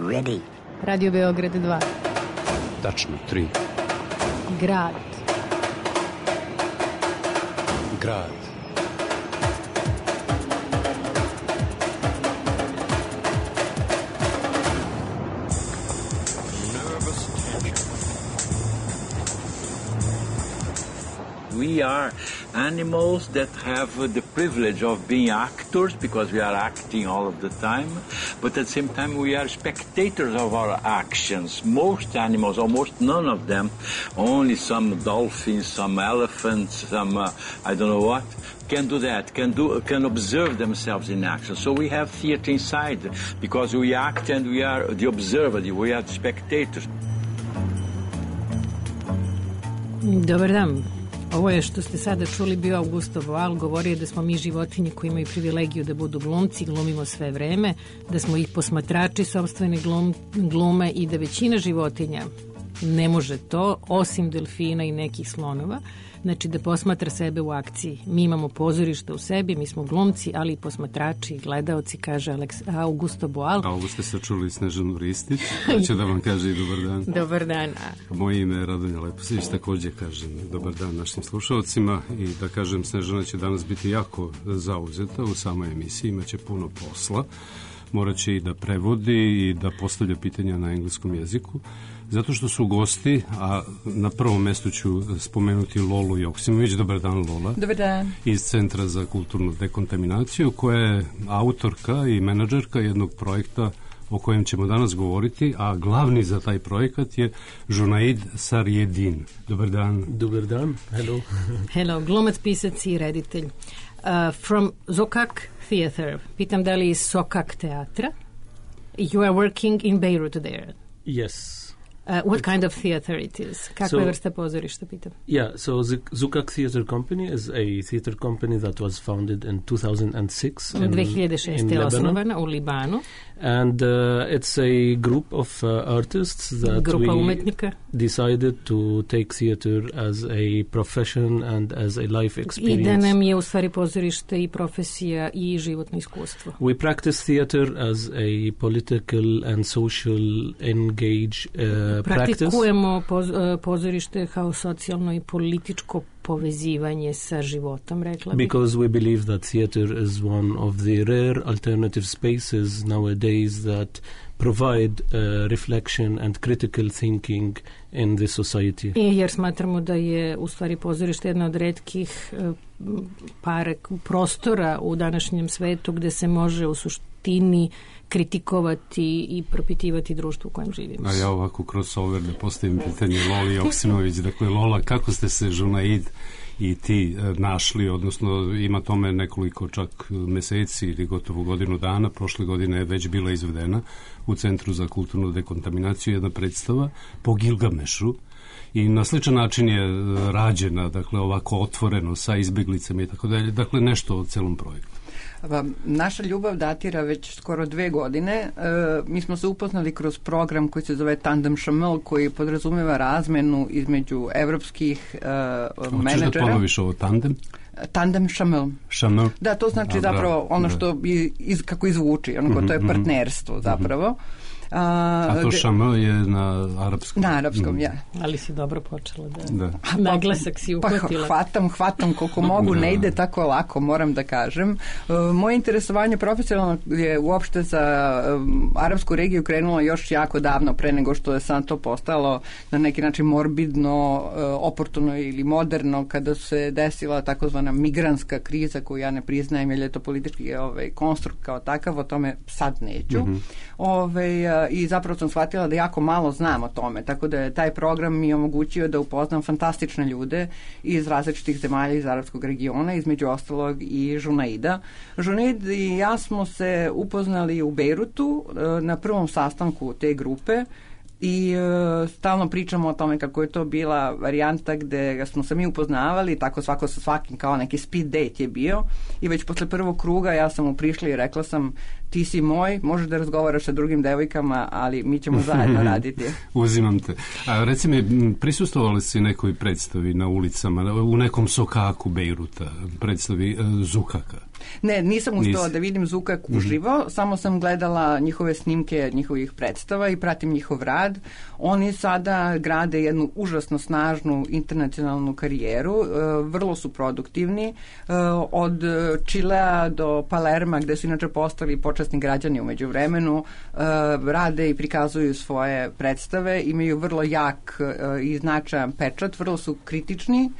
Ready. Radio Beograd 2. Tačno 3. Grad. Grad. We are animals that have the privilege of being actors because we are acting all of the time, but at the same time we are spectators of our actions. Most animals, almost none of them, only some dolphins, some elephants, some I don't know what, can do that, can observe themselves in action. So we have theater inside because we act and we are the observer, we are the spectators. Dobar dan. Ovo je što ste sada čuli bio Augusto Boal, govorio da smo mi životinje koji imaju privilegiju da budu glumci, glumimo sve vreme, da smo ih posmatrači sopstvene glume i da većina životinja ne može to, osim delfina i nekih slonova, znači da posmatra sebe u akciji. Mi imamo pozorište u sebi, mi smo glumci, ali i posmatrači i gledaoci, kaže Augusto Boal. A ovo ste se čuli Snežanu Ristić, da će da vam kaže i dobar dan. Dobar dan. Moje ime je Radonja Leposić, takođe kažem dobar dan našim slušalcima i da kažem Snežana će danas biti jako zauzeta u samoj emisiji, imaće puno posla, morat će i da prevodi i da postavlja pitanja na engleskom jeziku, zato što su gosti, a na prvom mestu ću spomenuti Lolu Joksimović. Dobar dan, Lola. Dobar dan. Iz Centra za kulturnu dekontaminaciju, koja je autorka i menadžerka jednog projekta o kojem ćemo danas govoriti, a glavni za taj projekat je Junaid Sarjedin. Dobar dan. Dobar dan. Hello. Hello, glumac, pisac i reditelj. From Sokak Theater. Pitam da li iz Sokak teatra? You are working in Beirut there. Yes. What kind of theater it is? Kakva je vrsta pozorišta, pitam? Yeah, so Sokak Theater Company is a theater company that was founded in 2006 in 2006. je osnovana u Libanu. And it's a group of artists that we decided to take theater as a profession and as a life experience. I da nam je u stvari pozorište i profesija i životno iskustvo. We practice theater as a political and social engage practice. Praktikujemo pozorište kao socijalno i političko povezivanje sa životom, rekla bih. Because we believe that theater is one of the rare alternative spaces nowadays that provide reflection and critical thinking in the society. I jer smatramo da je u stvari pozorište jedna od retkih prostora u današnjem svetu gde se može u suštini kritikovati i propitivati društvo u kojem živimo. A ja ovako kroz Solver da postavim pitanje Loli Joksimović. Dakle, Lola, kako ste se Junaid i ti našli, odnosno ima tome nekoliko čak meseci ili gotovo godinu dana, prošle godine je već bila izvedena u Centru za kulturnu dekontaminaciju jedna predstava po Gilgamešu i na sličan način je rađena, dakle ovako otvoreno sa izbeglicama i tako dalje, dakle nešto o celom projektu. Naša ljubav datira već skoro 2 godine. Mi smo se upoznali kroz program koji se zove Tandem Chamel, koji podrazumeva razmenu između evropskih menadžera. Hoćeš da ponoviš ovo tandem? Tandem Chamel. Chamel? Da, to znači zapravo ono što kako izvuči, to je partnerstvo zapravo. A to Chamel je na arapskom? Na arapskom, ja. Ali si dobro počela da naglasak si uhvatila. Hvatam koliko mogu, ne ide tako lako, moram da kažem. Moje interesovanje profesionalno je uopšte za arapsku regiju krenulo još jako davno, pre nego što je sad to postalo na neki način morbidno, oportuno ili moderno, kada se desila takozvana migrantska kriza koju ja ne priznajem, jer je to politički konstrukt kao takav, o tome sad neću. I zapravo sam shvatila da jako malo znam o tome, tako da je taj program mi omogućio da upoznam fantastične ljude iz različitih zemalja iz arapskog regiona, između ostalog i Junaida. Junaid i ja smo se upoznali u Bejrutu na prvom sastanku te grupe i stalno pričamo o tome kako je to bila varijanta gde smo se mi upoznavali, tako svako sa svakim kao neki speed date je bio i već posle prvog kruga ja sam mu prišla i rekla sam ti si moj, možeš da razgovaraš sa drugim devojkama, ali mi ćemo zajedno raditi. Uzimam te. A reci mi, prisustvovali si nekoj predstavi na ulicama, u nekom sokaku Bejruta, predstavi Zukaka? Ne, nisam uspela da vidim Zukak uživo, samo sam gledala njihove snimke njihovih predstava i pratim njihov rad. Oni sada grade jednu užasno snažnu internacionalnu karijeru, vrlo su produktivni, od Čilea do Palerma, gde su inače postali počasni građani u međuvremenu, rade i prikazuju svoje predstave, imaju vrlo jak i značajan pečat, vrlo su kritični,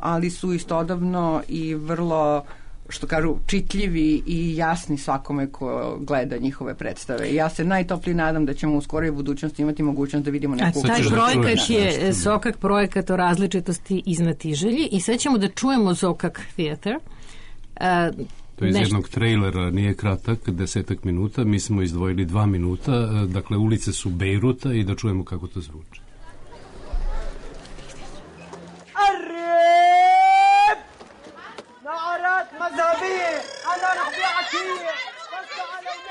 ali su istodobno i vrlo, što kažu, čitljivi i jasni svakome ko gleda njihove predstave. Ja se najtoplije nadam da ćemo u skoroj budućnosti imati mogućnost da vidimo neku... A taj projekat je Zokak projekat o različitosti i znatiželji i sad ćemo da čujemo Zokak Theater. To je iz jednog trejlera, nije kratak, 10 minuta, mi smo izdvojili 2 minuta, dakle ulice su Bejruta i da čujemo kako to zvuči. نعرات مذهبية أنا رح بيع عشية بس على الماشي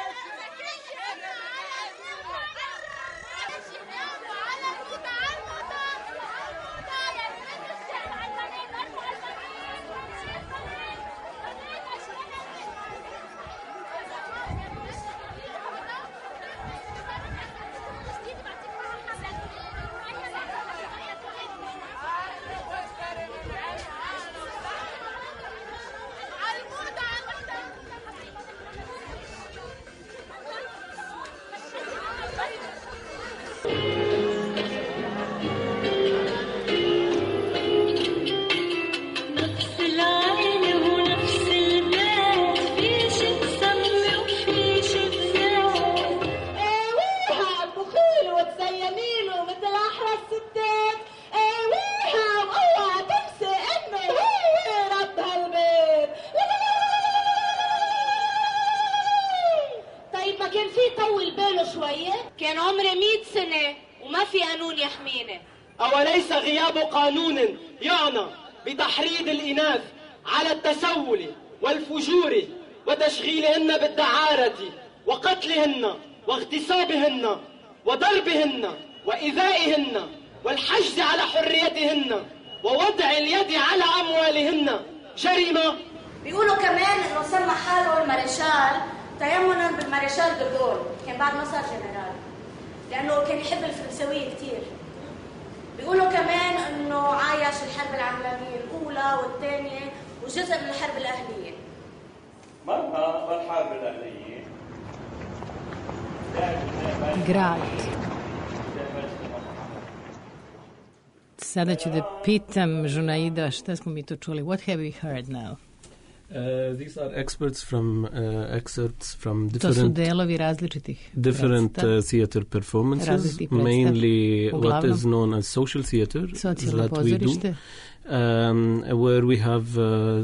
كان عمري 100 سنة وما في قانون يحميني. أوليس غياب قانون يعنى بتحريض الإناث على التسول والفجور وتشغيلهن بالدعارة وقتلهن واغتصابهن وضربهن وإيذائهن والحجز على حريتهن ووضع اليد على أموالهن جريمة؟ بيقولوا كمان إنه سمى حاله المارشال تيمنا بالمارشال دغول، كان بعد ما صار جنرال، لأنه كان يحب الفرنسوية كتير. بيقولوا كمان إنه عايش الحرب العالمية الأولى والثانية وجزء من الحرب الأهلية. مرة الحرب الأهلية grad. Sada ću da pitam Žunaida šta smo mi to čuli. What have we heard now? These are excerpts from To su delovi različitih theater performances, mainly what is known as social theater that we do. Where we have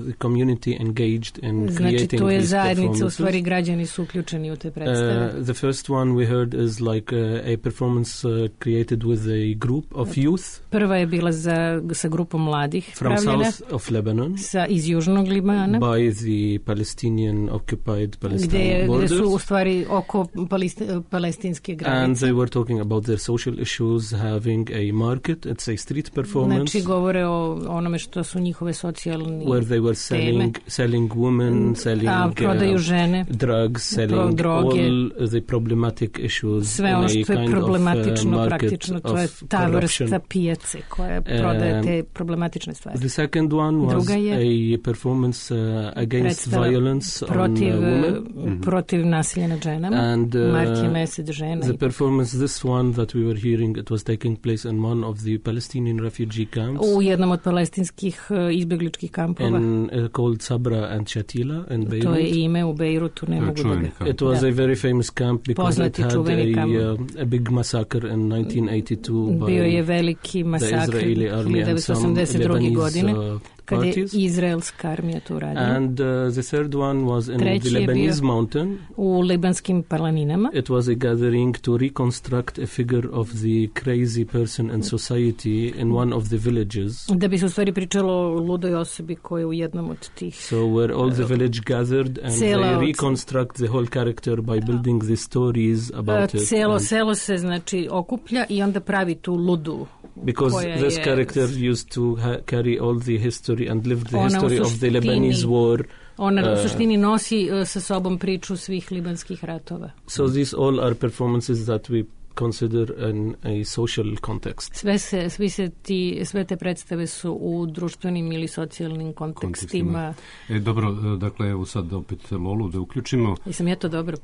the community engaged in creating to je these zajednica, performances. u stvari građani su uključeni u te predstave. The first one we heard is like a performance created with a group of youth. Prva je bila sa grupom mladih from pravljena, south of Lebanon, iz južnog Libana, by the Palestinian occupied Palestinian borders. Gde su u stvari oko palestinske granice. And they were talking about their social issues, having a market. It's a street performance. Znači govore o onome što su njihove socijalne where they were selling women, selling prodaju žene, drugs, selling droge, all the problematic issues. Sve ono što je problematično praktično, to je ta vrsta pijace koja prodaje te problematične stvari. The second one was a performance against violence on women. Protiv nasilja nad ženama. And Mark je mesec žena. The performance, this one that we were hearing, it was taking place in one of the Palestinian refugee camps. U jednom od palestinskih izbegličkih kampova. Called Sabra and Shatila in Beirut. To je ime u Beirutu, ne mogu da ga... It was a very famous camp because it had a big massacre in 1982 Bio je veliki masakr 1982. godine parties. Kad je izraelska armija to uradila. And the third one was in the Lebanese mountain. U libanskim planinama. It was a gathering to reconstruct a figure of the crazy person in society in one of the villages. Da bi se u stvari pričalo o ludoj osobi koja je u jednom od tih. So where all the village gathered and they reconstruct the whole character by building the stories about it. Celo selo se znači okuplja i onda pravi tu ludu. Because this character used to carry all the history and live the history of the Lebanese war. Ona u suštini nosi sa sobom priču svih libanskih ratova. So these all are performances that we consider in a social context. Sve te predstave su u društvenim ili socijalnim kontekstima. Dobro, dakle, evo sad opet Lolu da uključimo. Jesam ja to dobro?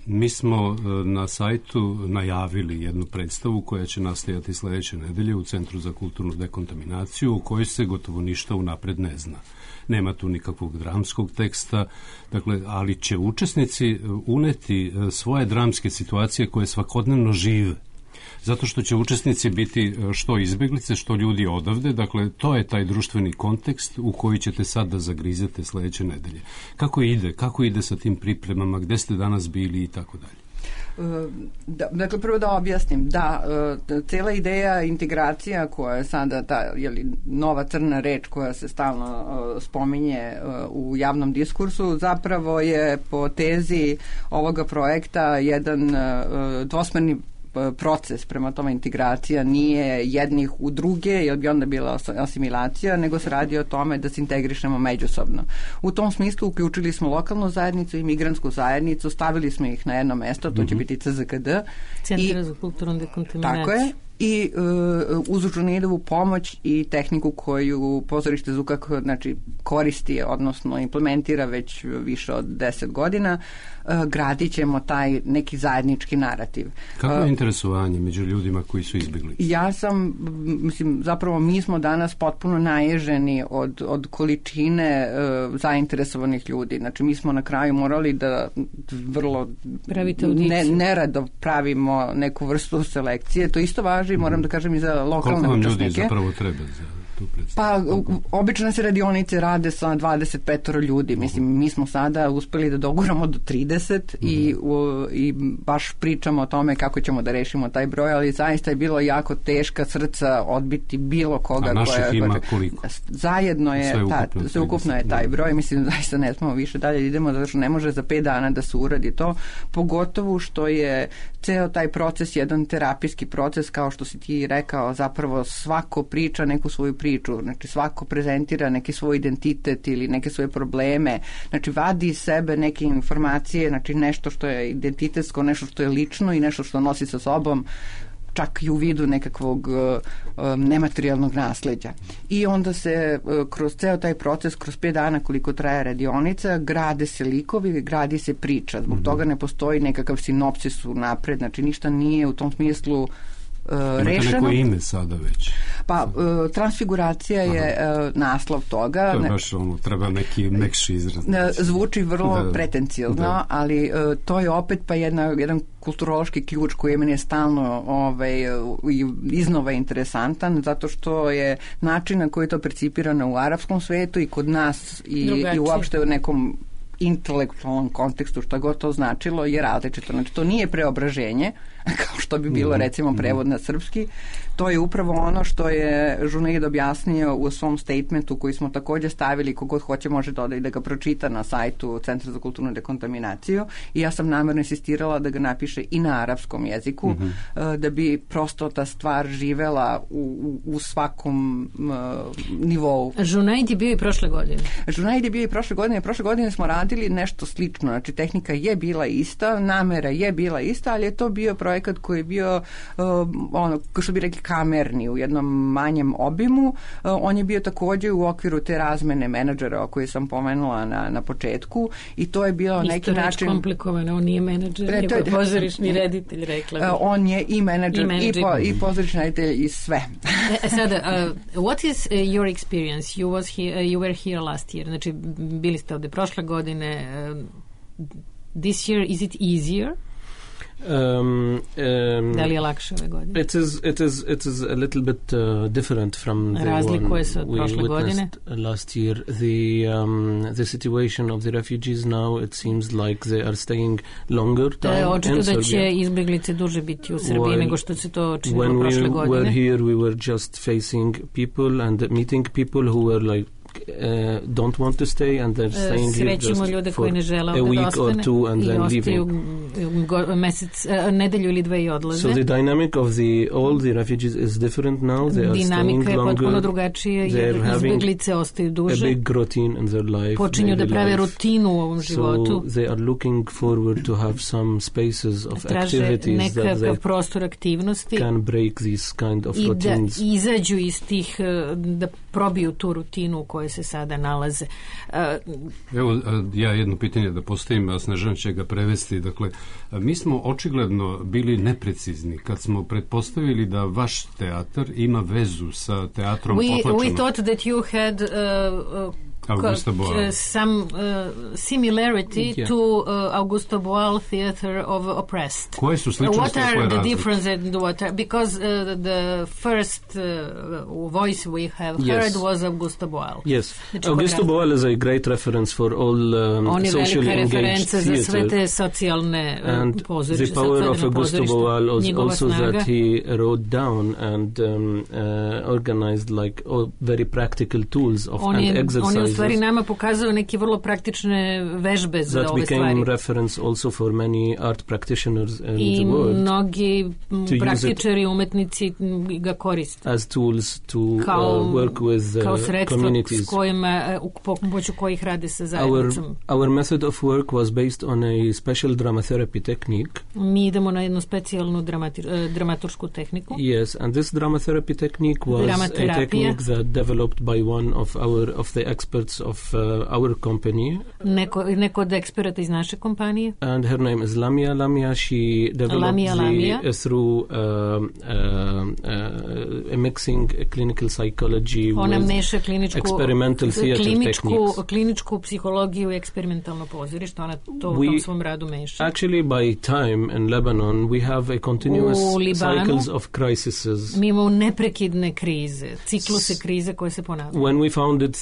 Mi smo na sajtu najavili jednu predstavu koja će nastajati sledeće nedelje u Centru za kulturnu dekontaminaciju, u kojoj se gotovo ništa unapred ne zna. Nema tu nikakvog dramskog teksta, dakle, ali će učesnici uneti svoje dramske situacije koje svakodnevno žive. Zato što će učesnici biti što izbeglice, što ljudi odavde, dakle, to je taj društveni kontekst u koji ćete sad da zagrizete sledeće nedelje. Kako ide sa tim pripremama, gde ste danas bili i tako dalje? Dakle, prvo da objasnim, cela ideja integracija koja je sada ta nova crna reč koja se stalno spominje u javnom diskursu, zapravo je po tezi ovoga projekta jedan dvosmerni proces, prema tome integracija nije jednih u druge, jer bi onda bila asimilacija, nego se radi o tome da se integrišemo međusobno. U tom smislu uključili smo lokalnu zajednicu i migrantsku zajednicu, stavili smo ih na jedno mesto, to će biti CZKD. Centar za kulturnu dekontaminaciju. Tako je. I uz Žunijedovu pomoć i tehniku koju pozorište Zukak koristi, odnosno implementira već više od 10 godina, gradit ćemo taj neki zajednički narativ. Kako je interesovanje među ljudima koji su izbjegli? Zapravo mi smo danas potpuno naježeni od količine zainteresovanih ljudi. Znači mi smo na kraju morali da vrlo nerado pravimo neku vrstu selekcije. To isto važi, moram da kažem, i za lokalne učesnike. Koliko vam ljudi zapravo treba za tu predstavu? Pa, obično se radionice rade sa 25 ljudi. Mislim, mi smo sada uspeli da doguramo do 30 i baš pričamo o tome kako ćemo da rešimo taj broj, ali zaista je bilo jako teška srca odbiti bilo koga. A naših ima koliko? Zajedno je, sveukupno je taj broj. Mislim, zaista ne smemo više dalje idemo, zato što ne može za 5 dana da se uradi to. Pogotovo što je ceo taj proces jedan terapijski proces, kao što si ti rekao, zapravo svako priča neku svoju priču, znači svako prezentira neki svoj identitet ili neke svoje probleme, znači vadi iz sebe neke informacije, znači nešto što je identitetsko, nešto što je lično i nešto što nosi sa sobom, čak i u vidu nekakvog nematerijalnog nasleđa. I onda se kroz ceo taj proces, kroz 5 dana koliko traje radionica, grade se likovi, gradi se priča. Zbog toga ne postoji nekakav sinopsis unapred, znači ništa nije u tom smislu rešeno. Imate neko ime sada već? Pa, transfiguracija je naslov toga. To je baš treba neki mekši izraz. Zvuči vrlo pretenciozno, ali to je opet pa jedan kulturološki ključ koji je meni stalno iznova interesantan, zato što je način na koji je to percipirano u arapskom svetu i kod nas i uopšte u nekom intelektualnom kontekstu, što god to značilo, je različito. Znači, to nije preobraženje, kao što bi bilo recimo prevod na srpski. To je upravo ono što je Žunaid objasnio u svom statementu koji smo također stavili, kogod hoće može dodati da ga pročita na sajtu Centra za kulturnu dekontaminaciju, i ja sam namjerno insistirala da ga napiše i na arapskom jeziku, da bi prosto ta stvar živela u svakom nivou. Žunaid je bio i prošle godine. Žunaid je bio i prošle godine. Prošle godine smo radili nešto slično. Znači, tehnika je bila ista, namera je bila ista, ali je to bio projekat koji je bio kao što bi rekli kamerni, u jednom manjem obimu. On je bio također u okviru te razmene menadžera o kojoj sam pomenula na početku, i to je bio neki način... Isto reč komplikovano, on nije menadžer, nego je pozorišni reditelj, rekla bih. On je i menadžer, i pozorišni reditelj, i sve. Sada, what is your experience? You were here last year, znači bili ste ovde prošle godine. This year, is it easier? Da li je lakše ove godine? It is a little bit different from the Razlikuje se od prošle godine. Last year. The situation of the refugees now, it seems like they are staying longer time in očito Serbia. Da će izbjeglice duže biti u Srbiji nego što se to činilo prošle godine. When we were here, we were just facing people and meeting people who were like don't want to stay and they're staying here just for a week or two and then leaving. Nedelju ili dve i odlaze. So the dynamic of all the refugees is different now. They are Dinamika staying longer. Je potpuno drugačije jer izbjeglice ostaju duže. A big routine in their life. Počinju da prave rutinu u ovom životu. So they are looking forward to have some spaces of activities that they prostor aktivnosti can break these kind of routines. I da izađu iz tih, da probiju tu rutinu u kojoj se sada nalaze. Evo, ja jedno pitanje da postavim, a Snežana će ga prevesti. Dakle, mi smo očigledno bili neprecizni kad smo pretpostavili da vaš teatar ima vezu sa teatrom Potlačenom. We thought that you had some similarity to Augusto Boal Theatre of Oppressed. Koje su sličnosti? What are the differences? Because the first voice we have heard was Augusto Boal. Yes, Augusto Boal is a great reference for all socially engaged theatre. Za sve te socijalne pozorište. The power of Augusto Boal was also that he wrote down and organized like very practical tools and exercises. Stvari nama pokazuju neke vrlo praktične vežbe za ove stvari. That became reference also for many art practitioners in the world. I mnogi praktičari, umetnici ga koriste. As tools to work with communities. Kao sredstvo pomoću kojih rade sa zajednicom. Our method of work was based on a special dramatherapy technique. Mi idemo na jednu specijalnu dramaturšku tehniku. Yes, and this dramatherapy technique was a technique that developed by one of the experts of our company. Neko od eksperata iz naše kompanije. And her name is Lamia. Lamia, she developed through a mixing clinical psychology with experimental theater techniques. Kliničku psihologiju i eksperimentalno pozorište. Ona to u tom svom radu meša. Actually, by time in Lebanon, we have a continuous cycles of crises. Mi imamo neprekidne krize, cikluse krize koje se ponavljaju. When we founded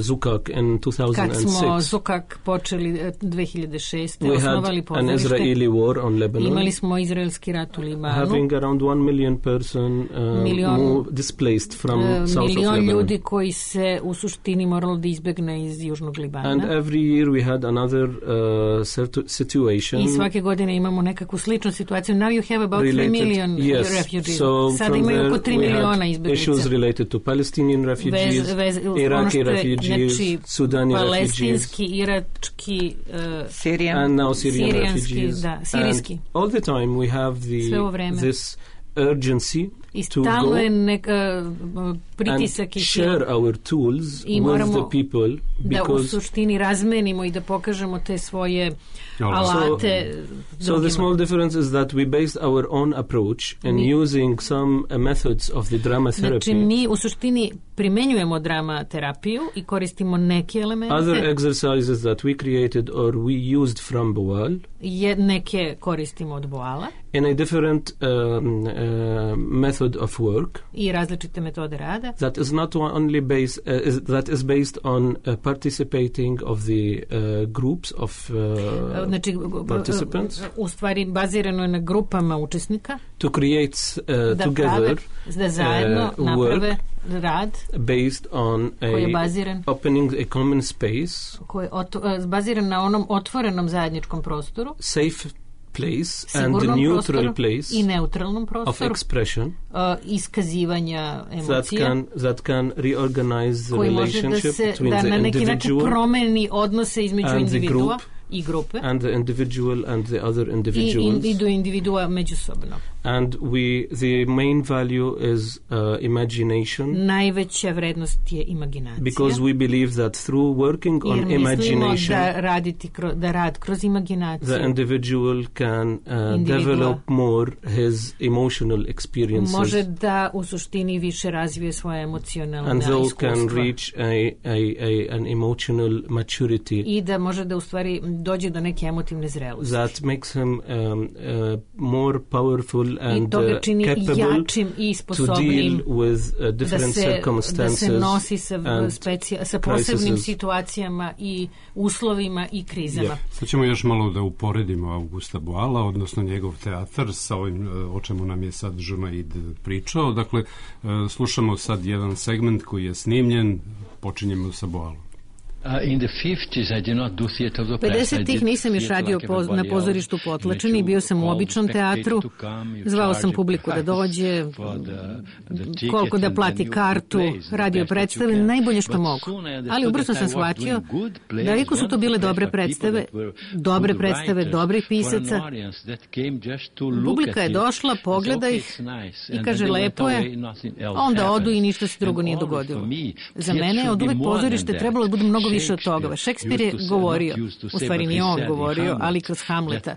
Zukak in 2006. Kad smo Zukak počeli 2006. osnovali pozorište. An Israeli war on Lebanon. Imali smo izraelski rat u Libanu. Having around 1 million person displaced from south of Lebanon. Milion ljudi koji se u suštini moralo da izbegne iz južnog Libana. And every year we had another situation. I svake godine imamo nekakvu sličnu situaciju. Now you have about 3 million refugees. So sada imaju oko 3 miliona izbeglica. Issues related to Palestinian refugees, Iraqi refugees, Sudani palestinski, irački, and now Syrian refugees. Da, sirijski. And all the time we have this urgency to go pritisak and share our tools with the people, da u suštini razmenimo i da pokažemo te svoje alate so the small difference is that we based our own approach in using some methods of the drama therapy. Znači mi u suštini primenjujemo drama terapiju i koristimo neke elemente. Other exercises that we created or we used from Boal. Neke koristimo od Boala. In a different method of work. I različite metode rada. That is not only that is based on participating of the groups of participants. U stvari bazirano je na grupama učesnika. To create together da zajedno naprave rad based on opening a common space. Koji je baziran na onom otvorenom zajedničkom prostoru. Safe place and the neutral place i neutralnom prostoru of expression iskazivanja emocija that can reorganize the relationship between da the na neki individual način promeni odnose između individua i grupe and the individual and the other individuals i do individua međusobno. And the main value is imagination. Najveća vrednost je imaginacija. Because we believe that through working on imagination, da rad kroz imaginaciju, the individual can develop more his emotional experiences. Može da u suštini više razvije svoje emocionalne and iskustva. And can reach an emotional maturity. I da može da u stvari dođe do neke emotivne zrelosti. That makes him more powerful and capable to deal with different circumstances. Da se nosi sa posebnim situacijama i uslovima i krizama. Sad ćemo još malo da uporedimo Augusta Boala, odnosno njegov teatar sa ovim o čemu nam je sad Junaid pričao. Dakle, slušamo sad jedan segment koji je snimljen, počinjemo sa Boalom. In the 50s I did not do theater of the press. 50-ih nisam još radio na pozorištu Potlačeni, bio sam u običnom teatru, zvao sam publiku da dođe, koliko da plati kartu, radio predstave, najbolje što mogu. Ali ubrzo sam shvatio da iako su to bile dobre predstave, dobrih pisaca, publika je došla, pogleda ih i kaže lepo je, onda odu i ništa se drugo nije dogodilo. Za mene je od uvek pozorište trebalo da bude mnogo više od toga. Šekspir je govorio, u stvari nije on govorio, ali kroz Hamleta,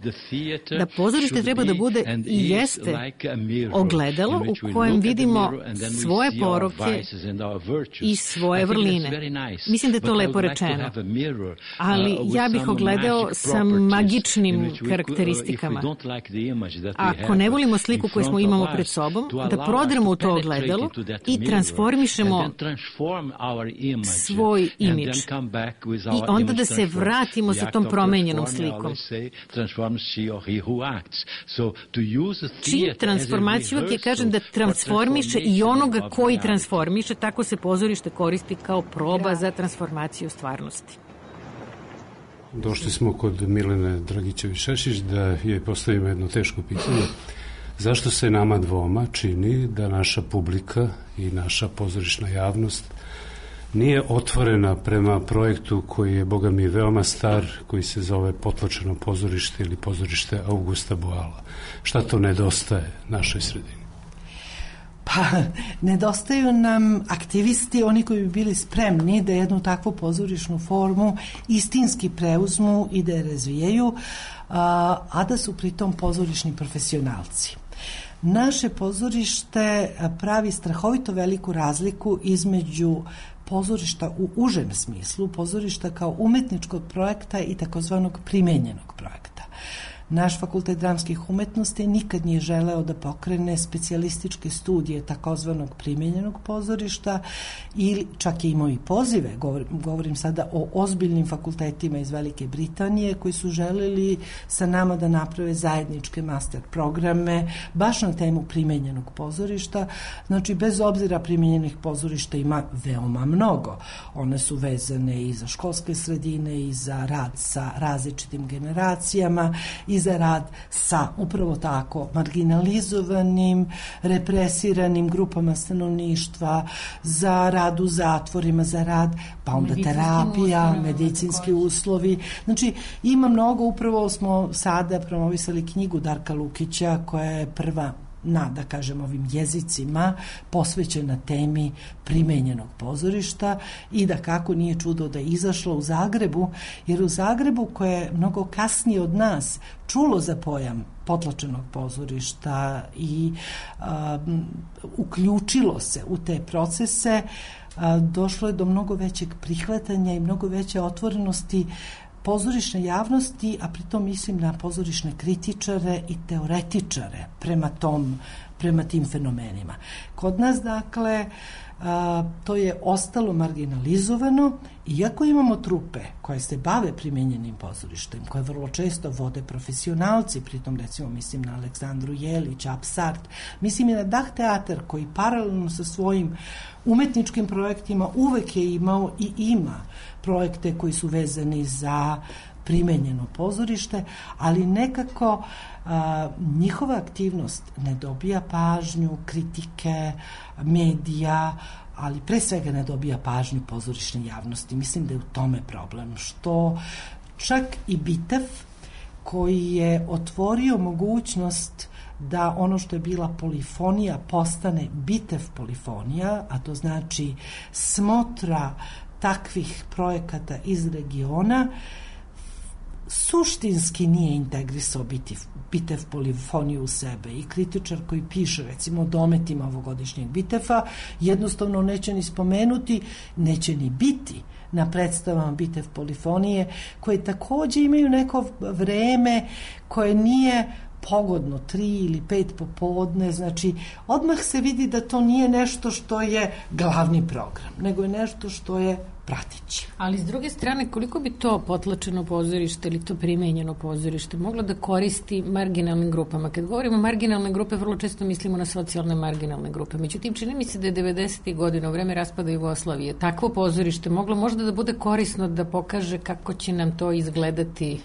da pozorište treba da bude i jeste ogledalo u kojem vidimo svoje poroke i svoje vrline. Mislim da je to lepo rečeno. Ali ja bih ogledao sa magičnim karakteristikama. Ako ne volimo sliku koju imamo pred sobom, da prodremo u to ogledalo i transformišemo svoj imidž. I onda da se vratimo sa tom promenjenom slikom. Čim transformaciju je kažem da transformiše i onoga koji transformiše, tako se pozorište koristi kao proba za transformaciju stvarnosti. Došli smo kod Milene Dragićević-Šešić da joj postavimo jedno teško pitanje. Zašto se nama dvoma čini da naša publika i naša pozorišna javnost nije otvorena prema projektu koji je, boga mi, veoma star, koji se zove Potlačeno pozorište ili pozorište Augusta Boala? Šta to nedostaje našoj sredini? Pa, nedostaju nam aktivisti, oni koji bi bili spremni da jednu takvu pozorišnu formu istinski preuzmu i da je razvijaju, a da su pritom pozorišni profesionalci. Naše pozorište pravi strahovito veliku razliku između pozorišta u užem smislu, pozorišta kao umetničkog projekta i takozvanog primenjenog projekta. Naš fakultet dramskih umetnosti nikad nije želeo da pokrene specijalističke studije takozvanog primenjenog pozorišta ili čak je imao i pozive, govorim sada o ozbiljnim fakultetima iz Velike Britanije koji su želeli sa nama da naprave zajedničke master programe baš na temu primenjenog pozorišta. Znači, bez obzira primenjenih pozorišta ima veoma mnogo. One su vezane i za školske sredine i za rad sa različitim generacijama i za rad sa upravo tako marginalizovanim, represiranim grupama stanovništva, za rad u zatvorima, za rad, pa onda terapija, medicinski uslovi. Znači, ima mnogo, upravo smo sada promovisali knjigu Darka Lukića koja je prva da kažem ovim jezicima posvećena temi primenjenog pozorišta i da kako nije čudo da je izašlo u Zagrebu, jer u Zagrebu koje je mnogo kasnije od nas čulo za pojam potlačenog pozorišta i uključilo se u te procese, došlo je do mnogo većeg prihvatanja i mnogo veće otvorenosti pozorišne javnosti, a pritom mislim na pozorišne kritičare i teoretičare prema tim fenomenima. Kod nas, dakle, to je ostalo marginalizovano, iako imamo trupe koje se bave primenjenim pozorištem, koje vrlo često vode profesionalci, pritom recimo mislim na Aleksandru Jelić, Apsart, mislim i na Dah teatar koji paralelno sa svojim umetničkim projektima uvek je imao i ima projekte koji su vezani za primenjeno pozorište, ali nekako njihova aktivnost ne dobija pažnju, kritike, medija, ali pre svega ne dobija pažnju pozorišne javnosti. Mislim da je u tome problem, što čak i Bitev koji je otvorio mogućnost da ono što je bila polifonija postane bitev polifonija, a to znači smotra takvih projekata iz regiona, suštinski nije integrisao bitev polifoniju u sebe i kritičar koji piše recimo o dometima ovogodišnjeg bitefa jednostavno neće ni spomenuti, neće ni biti na predstavama bitev polifonije, koje takođe imaju neko vreme koje nije pogodno, 3 ili 5 popodne, znači odmah se vidi da to nije nešto što je glavni program, nego je nešto što je pratići. Ali s druge strane, koliko bi to potlačeno pozorište ili to primenjeno pozorište moglo da koristi marginalnim grupama? Kad govorimo marginalne grupe, vrlo često mislimo na socijalne marginalne grupe. Međutim, čini mi se da je 90. godina u vreme raspada Jugoslavije takvo pozorište moglo možda da bude korisno da pokaže kako će nam to izgledati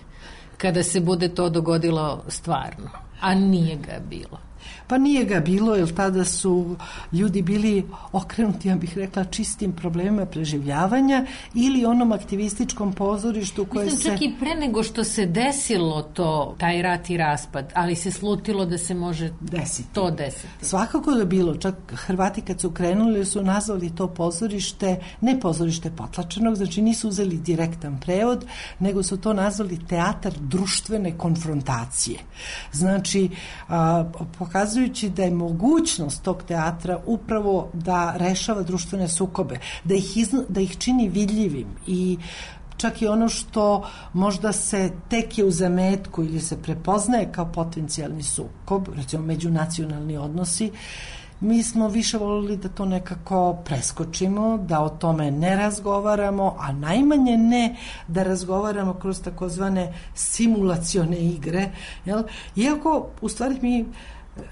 kada se bude to dogodilo stvarno, a nije ga bilo. Pa nije ga bilo, jer tada su ljudi bili okrenuti, ja bih rekla, čistim problemima preživljavanja ili onom aktivističkom pozorištu koje Mislim, čak i pre nego što se desilo to, taj rat i raspad, ali se slutilo da se može to desiti. Svakako da je bilo, čak Hrvati kad su krenuli su nazvali to pozorište, ne pozorište potlačenog, znači nisu uzeli direktan prevod, nego su to nazvali teatar društvene konfrontacije. Znači, pokazujući da je mogućnost tog teatra upravo da rešava društvene sukobe, da ih čini vidljivim i čak i ono što možda se tek je u zametku ili se prepoznaje kao potencijalni sukob, recimo međunacionalni odnosi, mi smo više volili da to nekako preskočimo, da o tome ne razgovaramo, a najmanje ne da razgovaramo kroz takozvane simulacione igre. Jel? Iako, u stvari,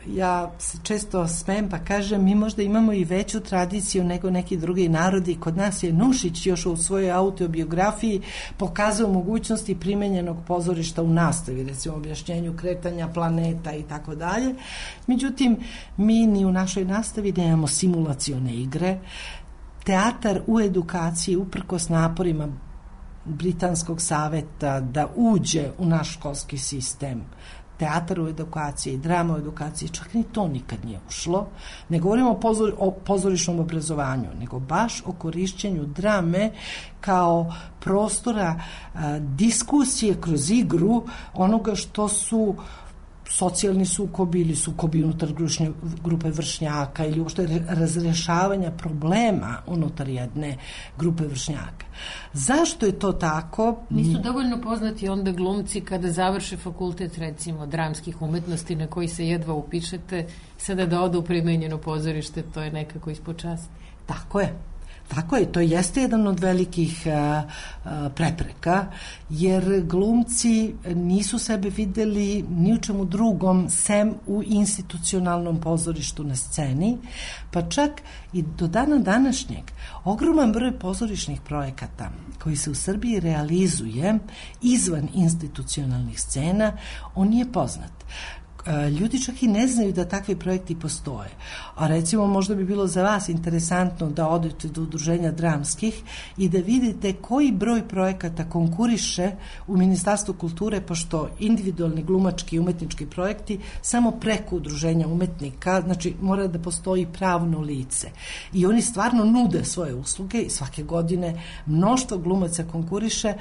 ja se često smijem pa kažem, mi možda imamo i veću tradiciju nego neki drugi narodi. Kod nas je Nušić još u svojoj autobiografiji pokazao mogućnosti primenjenog pozorišta u nastavi, recimo objašnjenju kretanja planeta i tako dalje. Međutim, mi ni u našoj nastavi nemamo simulacione igre. Teatar u edukaciji, uprkos naporima Britanskog saveta da uđe u naš školski sistem, teatar u edukaciji, drama u edukaciji, čak ni to nikad nije ušlo. Ne govorimo o pozorišnom obrazovanju, nego baš o korišćenju drame kao prostora diskusije kroz igru onoga što su socijalni sukobi ili sukobi unutar grupe vršnjaka ili uopšte razrešavanja problema unutar jedne grupe vršnjaka. Zašto je to tako? Nisu dovoljno poznati onda glumci kada završe fakultet, recimo, dramskih umetnosti na koji se jedva upišete, sada da odu u primenjeno pozorište, to je nekako ispod časti. Tako je. Tako je, to jeste jedan od velikih prepreka, jer glumci nisu sebe videli ni u čemu drugom sem u institucionalnom pozorištu na sceni, pa čak i do dana današnjeg ogroman broj pozorišnih projekata koji se u Srbiji realizuje izvan institucionalnih scena, on nije poznat. Ljudi čak i ne znaju da takvi projekti postoje. A recimo možda bi bilo za vas interesantno da odete do udruženja dramskih i da vidite koji broj projekata konkuriše u Ministarstvu kulture, pošto individualni glumački i umetnički projekti samo preko udruženja umetnika, znači mora da postoji pravno lice. I oni stvarno nude svoje usluge i svake godine mnoštvo glumaca konkuriše,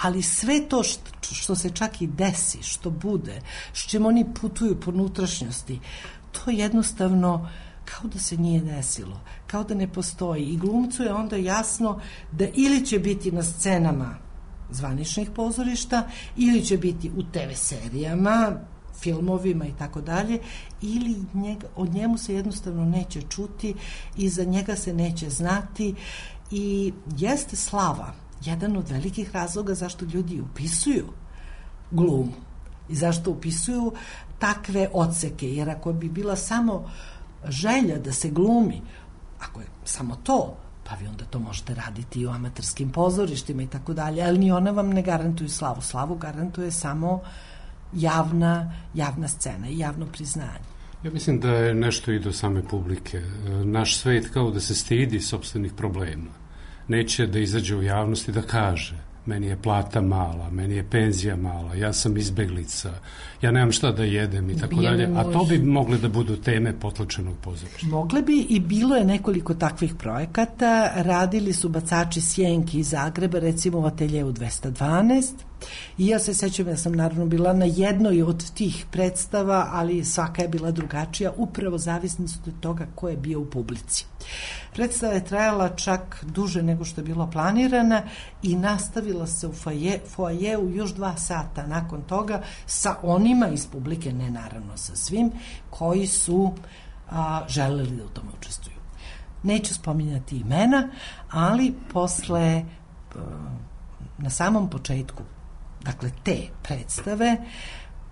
ali sve to što se čak i desi, što bude, s čim oni putuju po unutrašnjosti, to jednostavno kao da se nije desilo, kao da ne postoji. I glumcu je onda jasno da ili će biti na scenama zvaničnih pozorišta, ili će biti u TV serijama, filmovima i tako dalje, ili o njemu se jednostavno neće čuti i za njega se neće znati. I jeste slava jedan od velikih razloga zašto ljudi upisuju glumu i zašto upisuju takve odseke, jer ako bi bila samo želja da se glumi, ako je samo to, pa vi onda to možete raditi i u amaterskim pozorištima i tako dalje, ali ni ona vam ne garantuju slavu. Slavu garantuje samo javna scena i javno priznanje. Ja mislim da je nešto i do same publike. Naš svet kao da se stidi sopstvenih problema. Neće da izađe u javnosti da kaže meni je plata mala, meni je penzija mala, ja sam izbeglica, ja nemam šta da jedem i tako dalje, a to bi mogle da budu teme potlačenog pozorišta. Mogle bi i bilo je nekoliko takvih projekata, radili su bacači sjenki iz Zagreba, recimo u ateljeu 212, i ja se sećam, ja sam naravno bila na jednoj od tih predstava, ali svaka je bila drugačija, upravo zavisnost od toga ko je bio u publici. Predstava je trajala čak duže nego što je bilo planirana i nastavila se u foajeu još 2 sata nakon toga sa onima iz publike, ne naravno sa svim, koji su želeli da u tome učestvuju. Neću spominjati imena, ali posle, na samom početku, dakle te predstave,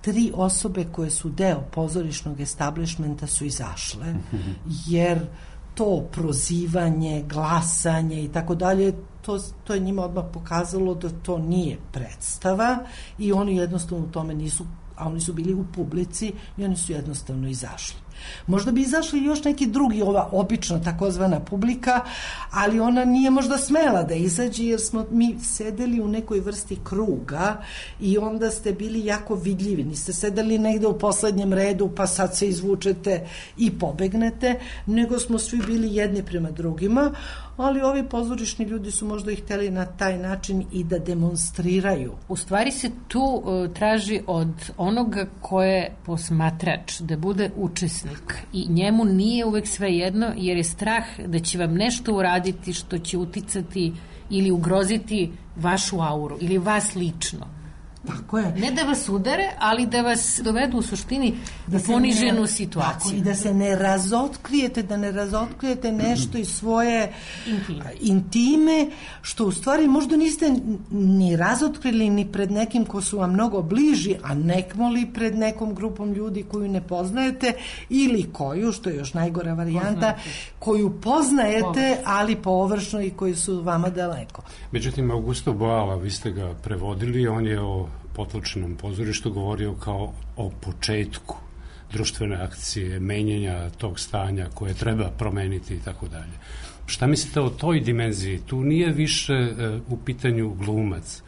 3 osobe koje su deo pozorišnog establishmenta su izašle, jer to prozivanje, glasanje i tako dalje, to je njima odmah pokazalo da to nije predstava i oni jednostavno u tome nisu, a oni su bili u publici i oni su jednostavno izašli. Možda bi izašli još neki drugi, ova obična takozvana publika, ali ona nije možda smela da izađe jer smo mi sedeli u nekoj vrsti kruga i onda ste bili jako vidljivi. Niste sedeli negde u poslednjem redu pa sad se izvučete i pobegnete, nego smo svi bili jedni prema drugima, ali ovi pozorišni ljudi su možda ih hteli na taj način i da demonstriraju. U stvari se tu traži od onoga ko je posmatrač da bude učesnik i njemu nije uvek sve jedno jer je strah da će vam nešto uraditi što će uticati ili ugroziti vašu auru ili vas lično. Tako je. Ne da vas udare, ali da vas dovedu u suštini u poniženu situaciju. Tako, i da se ne razotkrijete nešto iz svoje intime, što u stvari možda niste ni razotkrili ni pred nekim ko su vam mnogo bliži, a nekmoli pred nekom grupom ljudi koju ne poznajete ili koju, što je još najgora varijanta, koju poznajete, ali površno i koji su vama daleko. Međutim, Augusto Boal, vi ste ga prevodili, on je o potlačenom pozorištu govorio kao o početku društvene akcije, menjenja tog stanja koje treba promeniti i tako dalje. Šta mislite o toj dimenziji? Tu nije više u pitanju glumac,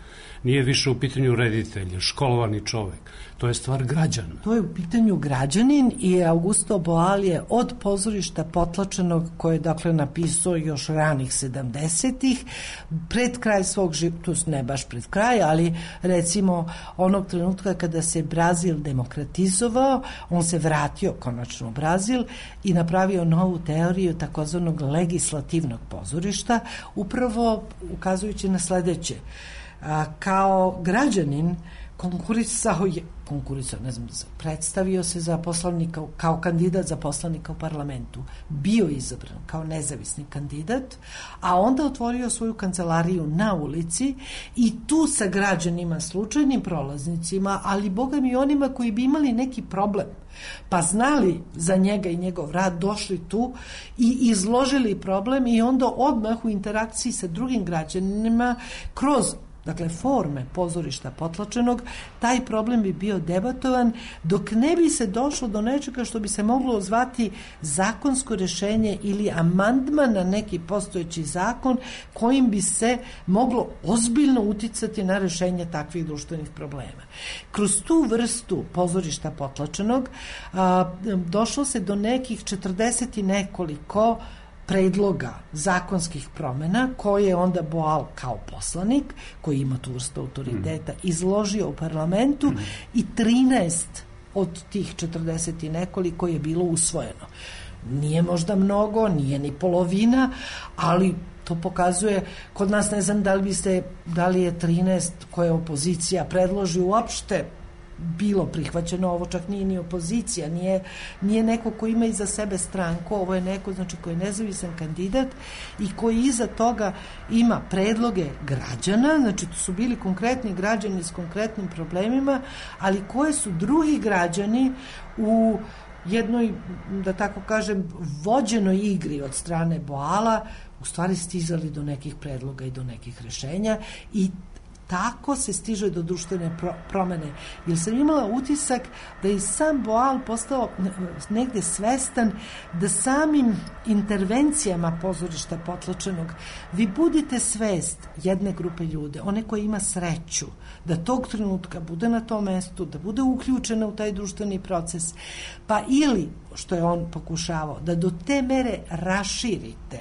nije više u pitanju reditelj, školovani čovek. To je stvar građana. To je u pitanju građanin i Augusto Boal je od pozorišta potlačenog, koje je dakle napisao još ranih 70-ih, pred kraj svog života, ne baš pred kraj, ali recimo onog trenutka kada se Brazil demokratizovao, on se vratio konačno u Brazil i napravio novu teoriju takozvanog legislativnog pozorišta, upravo ukazujući na sledeće. Kao građanin predstavio se za poslanika, kao kandidat za poslanika u parlamentu, bio izabran kao nezavisni kandidat, a onda otvorio svoju kancelariju na ulici i tu sa građanima, slučajnim prolaznicima, ali boga mi onima koji bi imali neki problem, pa znali za njega i njegov rad, došli tu i izložili problem i onda odmah u interakciji sa drugim građanima kroz forme pozorišta potlačenog, taj problem bi bio debatovan dok ne bi se došlo do nečega što bi se moglo zvati zakonsko rešenje ili amandman na neki postojeći zakon kojim bi se moglo ozbiljno uticati na rešenje takvih društvenih problema. Kroz tu vrstu pozorišta potlačenog došlo se do nekih 40 i nekoliko predloga zakonskih promena koje je onda Boal kao poslanik, koji ima tu vrstu autoriteta, izložio u parlamentu i 13 od tih 40 i nekoliko je bilo usvojeno. Nije možda mnogo, nije ni polovina, ali to pokazuje, kod nas ne znam da li je 13 koje opozicija predloži uopšte bilo prihvaćeno, ovo čak nije ni opozicija, nije neko ko ima iza sebe stranku, ovo je neko koji je nezavisan kandidat i koji iza toga ima predloge građana, to su bili konkretni građani s konkretnim problemima, ali koje su drugi građani u jednoj, da tako kažem, vođenoj igri od strane Boala u stvari stizali do nekih predloga i do nekih rešenja i tako se stiže do društvene promene. Jer sam imala utisak da je sam Boal postao negde svestan da samim intervencijama pozorišta potlačenog vi budite svest jedne grupe ljude, one koje ima sreću da tog trenutka bude na tom mestu, da bude uključena u taj društveni proces, pa ili, što je on pokušavao, da do te mere raširite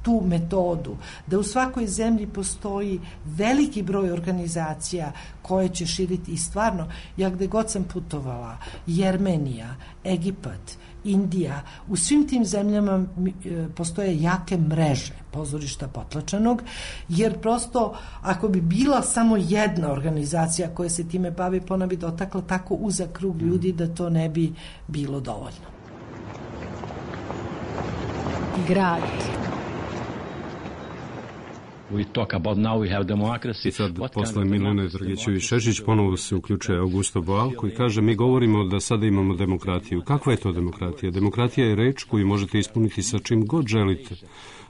tu metodu, da u svakoj zemlji postoji veliki broj organizacija koje će širiti i stvarno, ja gde god sam putovala, Jermenija, Egipat, Indija, u svim tim zemljama postoje jake mreže pozorišta potlačenog, jer prosto ako bi bila samo jedna organizacija koja se time bavi, pa ona bi dotakla tako uzak krug ljudi da to ne bi bilo dovoljno. Grad. I sad, posle Milene Dragićević-Šešić, ponovo se uključuje Augusto Boal, koji kaže, mi govorimo da sada imamo demokratiju. Kakva je to demokratija? Demokratija je reč koju možete ispuniti sa čim god želite.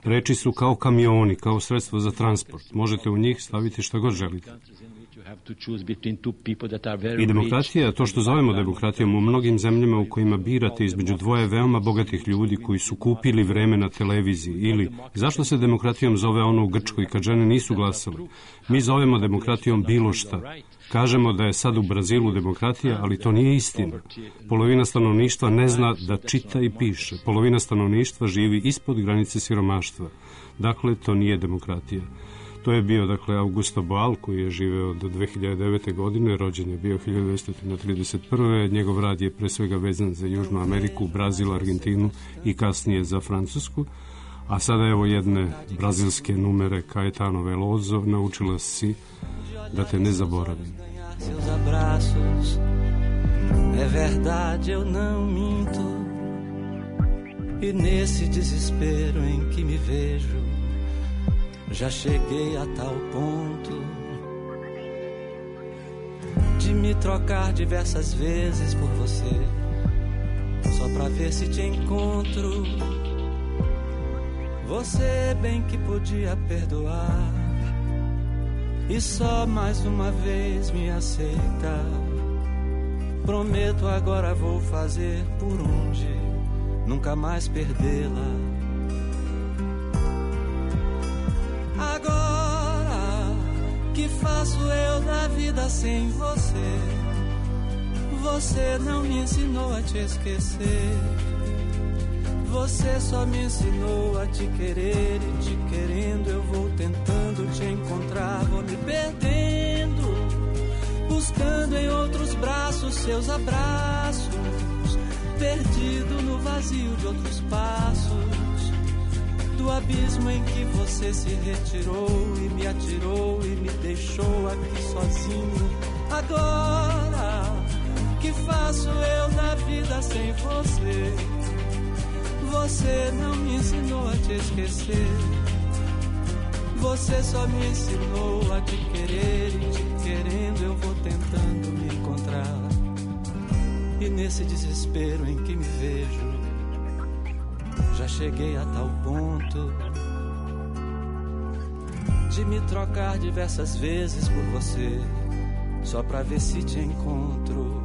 Reči su kao kamioni, kao sredstvo za transport. Možete u njih staviti šta god želite. I demokratija, to što zovemo demokratijom, u mnogim zemljama u kojima birate između dvoje veoma bogatih ljudi koji su kupili vreme na televiziji, ili zašto se demokratijom zove ono u Grčkoj kad žene nisu glasale? Mi zovemo demokratijom bilo šta. Kažemo da je sad u Brazilu demokratija, ali to nije istina. Polovina stanovništva ne zna da čita i piše. Polovina stanovništva živi ispod granice siromaštva. Dakle, to nije demokratija. To je bio, dakle, Augusto Boal, koji je živeo do 2009. godine, rođen je bio 1931. Njegov rad je pre svega vezan za Južnu Ameriku, Brazil, Argentinu i kasnije za Francusku. A sada evo jedne brazilske numere Caetano Veloso, Naučila si da te ne zaboravim. É verdade, eu não minto. E nesse desespero em que me vejo, já cheguei a tal ponto de me trocar diversas vezes por você, só pra ver se te encontro. Você bem que podia perdoar e só mais uma vez me aceitar. Prometo agora vou fazer por onde nunca mais perdê-la. Agora que faço eu da vida sem você? Você não me ensinou a te esquecer. Você só me ensinou a te querer e te querendo eu vou tentando te encontrar, vou me perdendo, buscando em outros braços seus abraços, perdido no vazio de outros passos, do abismo em que você se retirou e me atirou e me deixou aqui sozinho. Agora que faço eu da vida sem você? Você não me ensinou a te esquecer. Você só me ensinou a te querer e te querendo eu vou tentando me encontrar. E nesse desespero em que me vejo, já cheguei a tal ponto de me trocar diversas vezes por você, só pra ver se te encontro.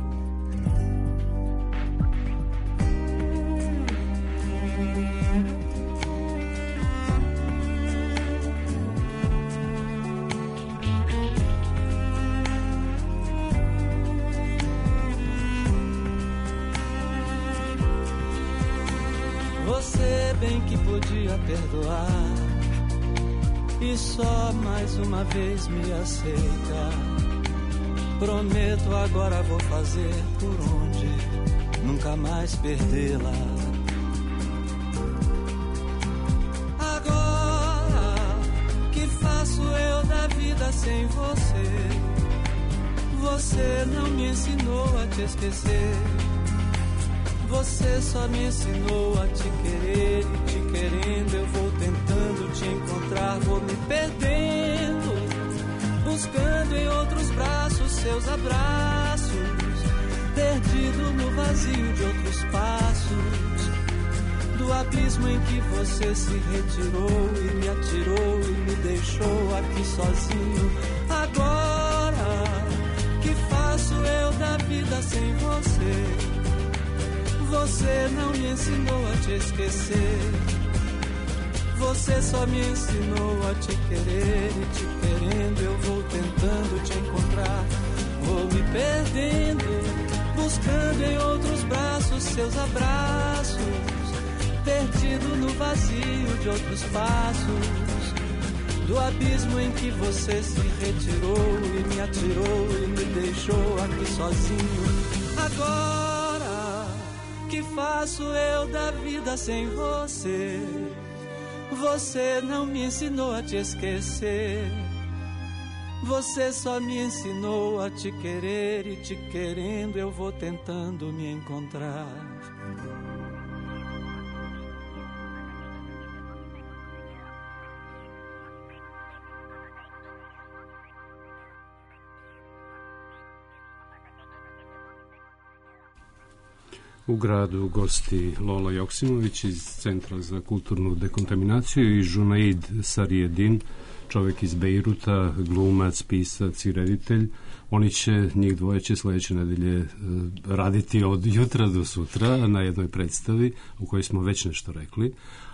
Bem que podia perdoar e só mais uma vez me aceita. Prometo agora vou fazer por onde nunca mais perdê-la. Agora que faço eu da vida sem você? Você não me ensinou a te esquecer. Você só me ensinou a te querer e te querendo eu vou tentando te encontrar, vou me perdendo, buscando em outros braços seus abraços, perdido no vazio de outros passos, do abismo em que você se retirou e me atirou e me deixou aqui sozinho. Agora sem você. Você não me ensinou a te esquecer. Você só me ensinou a te querer, e te querendo eu vou tentando te encontrar. Vou me perdendo, buscando em outros braços seus abraços, perdido no vazio de outros passos, do abismo em que você se retirou e me atirou e me deixou aqui sozinho. Agora, que faço eu da vida sem você? Você não me ensinou a te esquecer. Você só me ensinou a te querer, e te querendo eu vou tentando me encontrar. U gradu gosti Lola Joksimović iz Centra za kulturnu dekontaminaciju i Junaid Sarjedin, čovjek iz Bejruta, glumac, pisac i reditelj. Oni će, njih dvoje će sljedeće nedelje raditi od jutra do sutra na jednoj predstavi u kojoj smo već nešto rekli.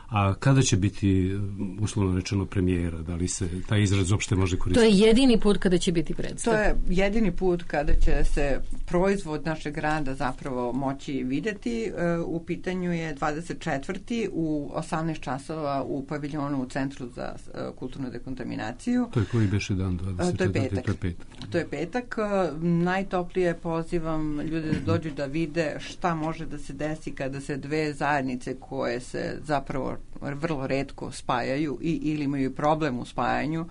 A kada će biti, uslovno rečeno, premijera? Da li se taj izraz uopšte može koristiti? To je jedini put kada će biti predstav. To je jedini put kada će se proizvod našeg rada zapravo moći vidjeti. U pitanju je 24. u 18 časova u paviljonu u Centru za kulturnu dekontaminaciju. To je koji beše dan? 24. To je petak. To je petak. Najtoplije pozivam ljude da dođu da vide šta može da se desi kada se dve zajednice koje se zapravo vrlo retko spajaju ili imaju problem u spajanju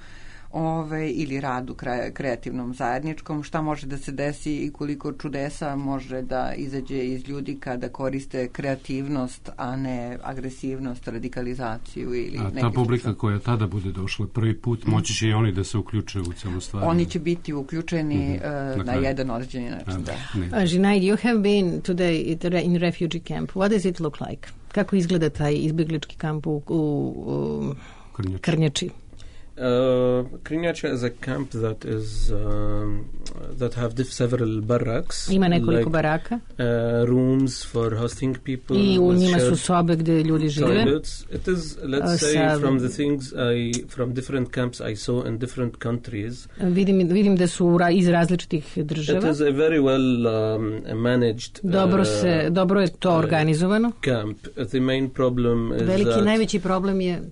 ili radu kreativnom zajedničkom, šta može da se desi i koliko čudesa može da izađe iz ljudi kada koriste kreativnost, a ne agresivnost, radikalizaciju ili a ta publika koja tada bude došla prvi put, moći će i oni da se uključe u celu stvar? Oni će biti uključeni na jedan određeni način. Junaid, you have been today in refugee camp. What does it look like? Kako izgleda taj izbjeglički kamp u Krnjači? Krnjača is a camp that is that have several barracks. Ima nekoliko baraka. Rooms for hosting people. I u njima su sobe gdje ljudi žive. It is, let's say, from the things from different camps I saw in different countries. Vidim da su iz različitih država. It is a very well managed. Dobro je to organizovano. Camp. The main problem is najveći problem je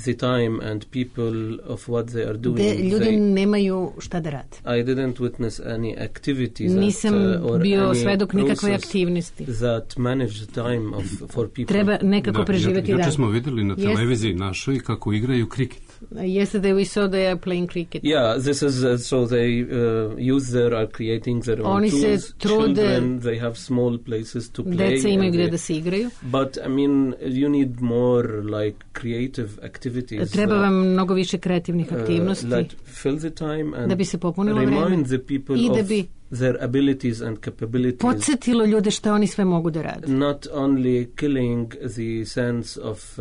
the time and people of what they are doing. Ljudi nemaju šta da rade. I didn't witness any activities. Nisam bio svedok nikakve aktivnosti. That manage the time for people. Treba nekako preživjeti dan. Juče smo vidjeli na televiziji našoj kako igraju kriket. Yesterday we saw they are playing cricket. Yeah, this is so they are creating their own Oni tools. se trude, children, they have small places to play. Deca imaju gdje da se igraju. But I mean, you need more like creative activities. Treba vam mnogo više kreativnih aktivnosti. That fill the time and da bi se popunilo vreme. Remind the people I da of bi their abilities and capabilities. Podsjetilo ljude što oni sve mogu da rade. Not only killing the sense of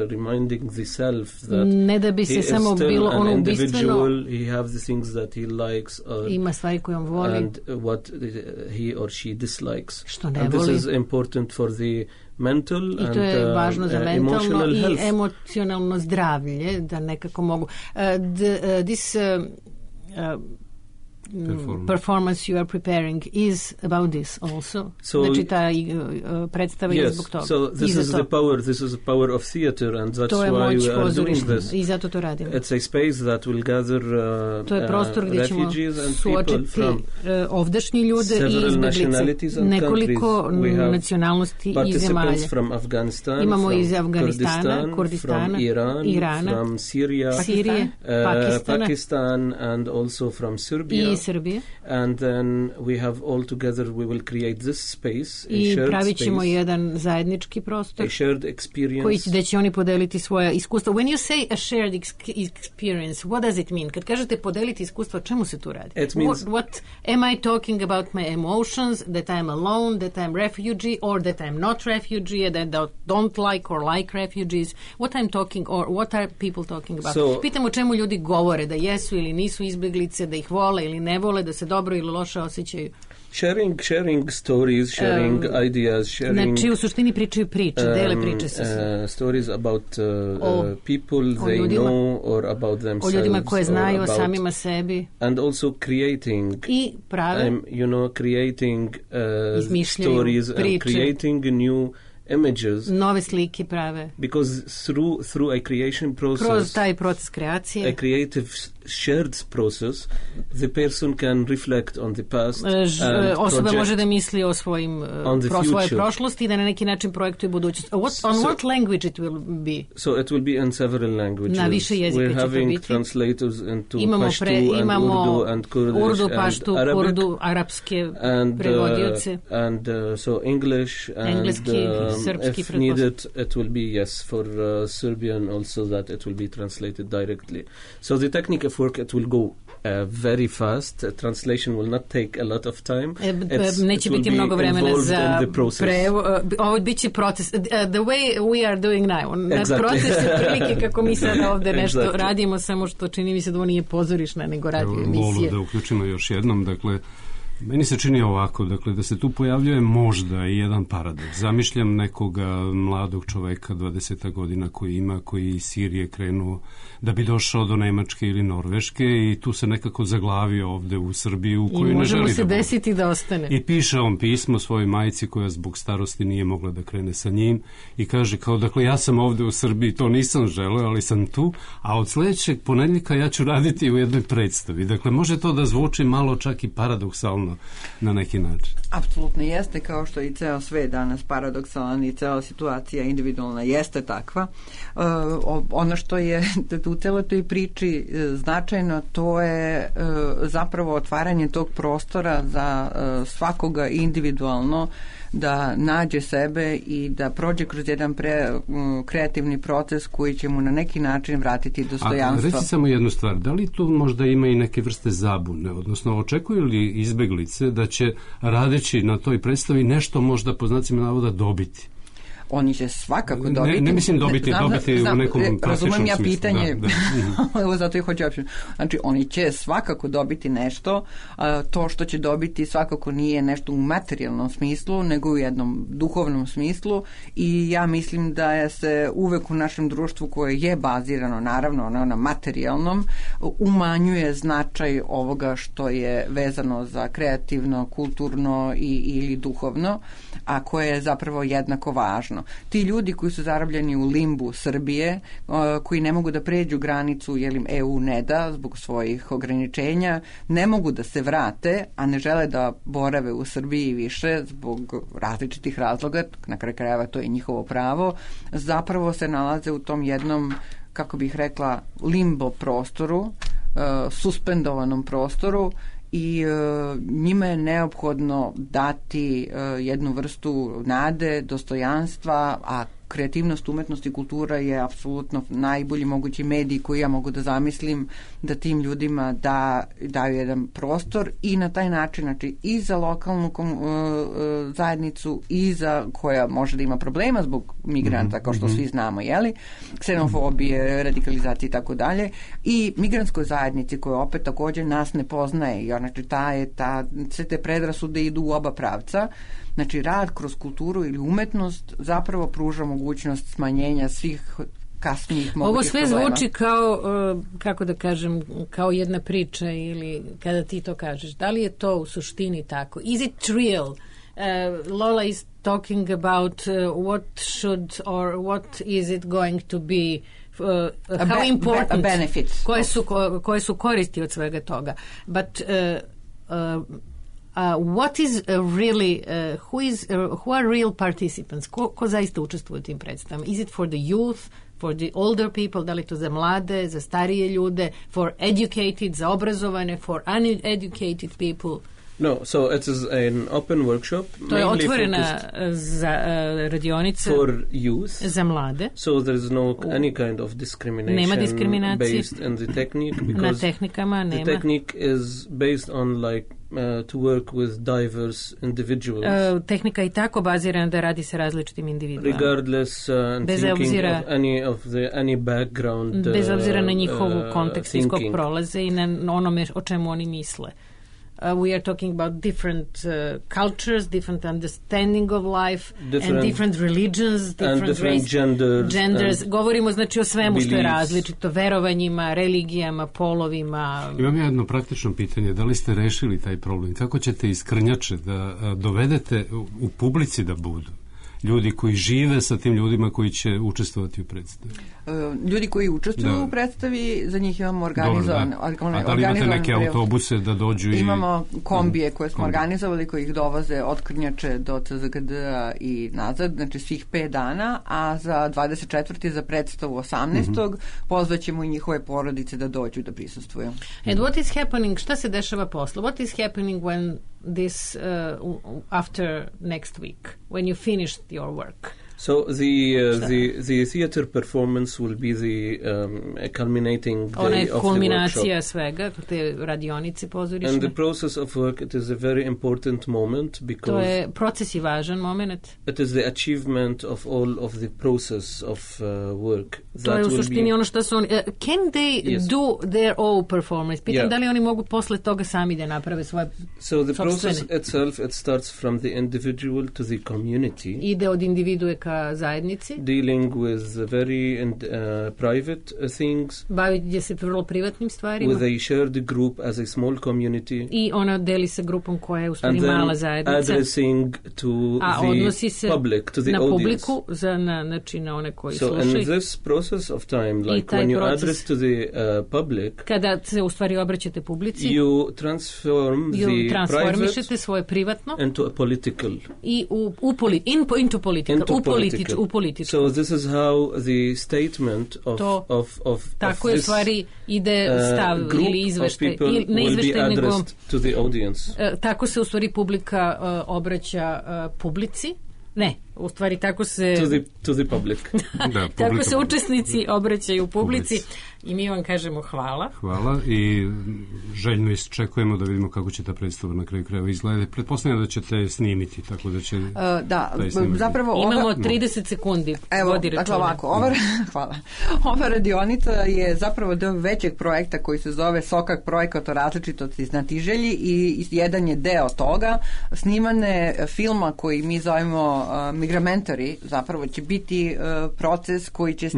reminding the self that ne da bi se samo bilo ono ubistveno. He have the things that he likes ima stvari koje on voli and what he or she dislikes. Što ne and voli. This is important for the mental I to je važno za mentalno i emocionalno zdravlje da nekako mogu this performance you are preparing is about this also. Znači ta predstava je zbog toga. So this is the power of theater and that's why we are doing this. I zato to radimo. It's a space that will gather to je prostor gdje ćemo suočiti ovdašnji ljude i izbjeglice. Nekoliko nacionalnosti i zemalja. Imamo iz Afganistana, Kurdistana, Irana, from Syria, Pakistan and also from Serbia. Srbije. And then we have all together we will create this space, I pravit ćemo jedan zajednički prostor, a shared experience, gdje će oni podeliti svoja iskustva. When you say a shared experience, what does it mean? Kad kažete podeliti iskustva, o čemu se tu radi? It means, what am I talking about my emotions, that I'm alone, that I'm refugee, or that I'm not refugee, that I don't like or like refugees? What I'm talking, or what are people talking about? Pitam o čemu ljudi govore, da jesu ili nisu izbjeglice, da ih vole ili ne ne vole, da se dobro ili loše osjećaju. Sharing stories, sharing ideas, sharing... Znači, u suštini pričaju priče, dele priče sa svima. Stories about people they ljudima, know or about themselves. O ljudima koje znaju, o samima sebi. And also creating... I prave. Creating stories priče. And creating new images. Nove slike prave. Because through a creation process... Kroz taj proces kreacije. A creative shared process, the person can reflect on the past osoba može da misli o svojoj prošlosti i da na neki način projektuje budućnost. On what language it will be? So it will be in several languages. Na više jezika će to biti. We're having translators into Pashto and Urdu and Kurdish Urdu, Pashto, Kurdu, arapske prevodioce. And so English and engleski, srpski, if needed it will be for Serbian also that it will be translated directly. So the technique work, it will go very fast. Translation will not take a lot of time. Neće biti mnogo vremena za ovo biće proces. The way we are doing now. Proces je prilike kako mi sada ovde nešto radimo, samo što čini mi se da ovo nije pozorišna, nego radio emisije. Da uključimo još jednom, dakle, meni se čini ovako, dakle, da se tu pojavljuje možda i jedan paradoks. Zamišljam nekoga mladog čoveka 20 godina koji iz Sirije krenuo da bi došao do Nemačke ili Norveške i tu se nekako zaglavio ovde u Srbiji u kojoj ne želi da bude. I može mu se desiti da ostane. I piše on pismo svojoj majci koja zbog starosti nije mogla da krene sa njim i kaže kao, dakle, ja sam ovde u Srbiji, to nisam želeo, ali sam tu, a od sledećeg ponedeljka ja ću raditi u jednoj predstavi. Dakle, može to da zvuči malo čak i paradoksalno na neki način. Apsolutno jeste, kao što i ceo svet danas paradoksalan i cela situacija individualna jeste takva. Ono što je u celoj toj priči značajno, to je zapravo otvaranje tog prostora za svakoga individualno da nađe sebe i da prođe kroz jedan kreativni proces koji će mu na neki način vratiti dostojanstvo. A reci samo jednu stvar, da li tu možda ima i neke vrste zabune, odnosno očekuju li izbeglice da će radeći na toj predstavi nešto možda po znacima navoda dobiti? Oni će svakako dobiti. Ne mislim dobiti u nekom klasičnom razumem ja smislu. Pitanje, evo zato i hoću opšte. Znači, oni će svakako dobiti nešto, to što će dobiti svakako nije nešto u materijalnom smislu, nego u jednom duhovnom smislu i ja mislim da se uvek u našem društvu koje je bazirano, naravno, na materijalnom, umanjuje značaj ovoga što je vezano za kreativno, kulturno ili duhovno, a koje je zapravo jednako važno. Ti ljudi koji su zarobljeni u limbu Srbije, koji ne mogu da pređu granicu jer im EU ne da zbog svojih ograničenja, ne mogu da se vrate, a ne žele da borave u Srbiji više zbog različitih razloga, na kraju krajeva to je njihovo pravo, zapravo se nalaze u tom jednom, kako bih rekla, limbo prostoru, suspendovanom prostoru i njima je neophodno dati jednu vrstu nade, dostojanstva, a kreativnost, umetnost i kultura je apsolutno najbolji mogući medij koji ja mogu da zamislim da tim ljudima daju jedan prostor i na taj način, znači i za lokalnu zajednicu i za koja može da ima problema zbog migranta, kao što svi znamo, jeli, ksenofobije, radikalizacije i tako dalje, i migrantskoj zajednici koja opet također nas ne poznaje, jer znači sve te predrasude idu u oba pravca. Znači, rad kroz kulturu ili umetnost zapravo pruža mogućnost smanjenja svih kasnijih mogućih Ovo sve problema. Zvuči kao, kako da kažem, kao jedna priča ili kada ti to kažeš. Da li je to u suštini tako? Is it real? Lola is talking about what should or what is it going to be how important a benefit. Koje su koristi od svega toga. But what is really who are real participants? Ko zaista učestvuje u tim predstavama? Is it for the youth, for the older people, da li to za mlade, za starije ljude, for educated, za obrazovane, for uneducated people? No, so it is an open workshop. To je otvorena radionica for youth, za mlade. So there is no any kind of discrimination. Nema diskriminacije based on the technique, na because tehnikama nema. The technique is based on like to work with diverse individuals. Tehnika je tako bazirana da radi sa različitim individuama. Regardless thinking of any background. Bez obzira na njihovu kontekst iz kog prolaze i na onome o čemu oni misle. we are talking about different cultures, different understanding of life, and different religions, different genders. Govorimo znači o svemu što je različito, verovanjima, religijama, polovima. Imam jedno praktično pitanje, da li ste rešili taj problem? Kako ćete iz Krnjače da dovedete u publici da budu ljudi koji žive sa tim ljudima koji će učestvovati u predstavi? Ljudi koji učestvuju u predstavi, za njih imamo organizovane. A da li imate neke autobuse da dođu? Imamo kombije koje smo organizovali, koji ih dovoze od Krnjače do CZGD-a i nazad, znači svih 5 dana, a za 24. za predstavu 18. pozvaćemo i njihove porodice da dođu da prisustvuju. And what is happening, šta se dešava posle? What is happening when this, after next week, when you finished your work? So the theater performance will be the culminating day of the kulminacija svega, te radionice pozorišne. And the process of work, it is a very important moment because to je proces i važan moment. It is the achievement of all of the process of work. To je u suštini ono što su oni... can they do their own performance? Pitam da li oni mogu posle toga sami da naprave svoje So the process itself, it starts from the individual to the community. Ide od individue ka zajednici. Dealing with very private things. Bavit se vrlo privatnim stvarima. With a shared group as a small community. I ona deli sa grupom koja je u stvari mala zajednica. And then addressing to the public, to the na audience. Publiku, znači na one koji slušaju. So in this process of time, like when you address to the public, kada se u stvari obraćate publici, you transformišete svoje privatno into a political. I into political. So this is how the statement of tako je stvari ide stav ili izveštaj ili ne izveštaj nego to the audience. Tako se u stvari publika obraća publici. Ne, u stvari tako se to the public. Tako se učesnici obraćaju publici i mi vam kažemo hvala. Hvala i željno isčekujemo da vidimo kako će ta predstava na kraju krajeva izgledati. Pretpostavljam da ćete snimiti, tako da će zapravo imamo 30 sekundi. Evo, dakle ovako, hvala. Ova radionica je zapravo deo većeg projekta koji se zove Sokak projekat o različitosti i znatiželji i jedan je deo toga. Snimane filma koji mi zovemo Migramentari, zapravo će biti proces koji će